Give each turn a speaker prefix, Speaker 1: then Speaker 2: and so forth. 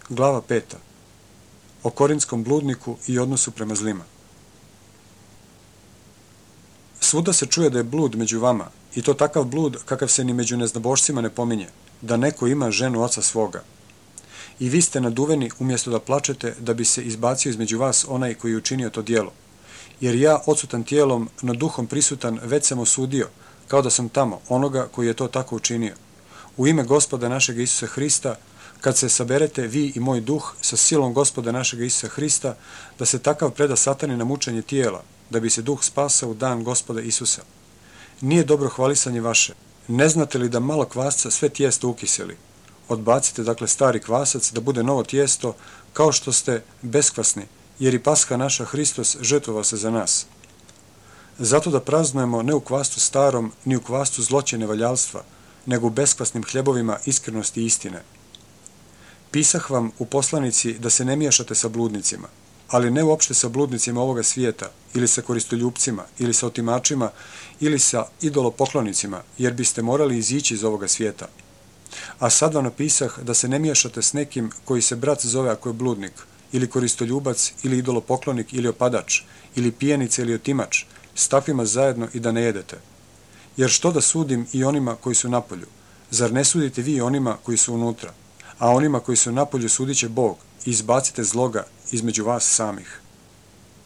Speaker 1: Glava 5. O korintskom bludniku i odnosu prema zlima. Svuda se čuje da je blud među vama, i to takav blud kakav se ni među neznabošcima ne pominje, da neko ima ženu oca svoga. I vi ste naduveni umjesto da plačete da bi se izbacio između vas onaj koji je učinio to djelo. Jer ja, odsutan tijelom, no duhom prisutan, već sam osudio, kao da sam tamo, onoga koji je to tako učinio. U ime Gospoda našeg Isusa Hrista, kad se saberete vi i moj duh sa silom Gospoda našeg Isusa Hrista, da se takav preda Satani na mučenje tijela, da bi se duh spasao u dan Gospoda Isusa. Nije dobro hvalisanje vaše. Ne znate li da malo kvasca sve tijesto ukiseli? Odbacite dakle stari kvasac da bude novo tijesto, kao što ste beskvasni, jer i Pasha naša Hristos žrtvovao se za nas. Zato da praznujemo ne u kvastu starom, ni u kvastu zloće nevaljalstva, nego u beskvasnim hljebovima iskrenosti i istine. Pisah vam u poslanici da se ne miješate sa bludnicima, ali ne uopšte sa bludnicima ovoga svijeta, ili sa koristoljupcima, ili sa otimačima, ili sa idolopoklonicima, jer biste morali izići iz ovoga svijeta. A sad vam napisah da se ne miješate s nekim koji se brat zove ako je bludnik, ili koristoljubac, ili idolopoklonik, ili opadač, ili pijenica, ili otimač, s takvima zajedno i da ne jedete. Jer što da sudim i onima koji su napolju? Zar ne sudite vi onima koji su unutra? A onima koji su napolju sudit će Bog i izbacite zloga između vas samih.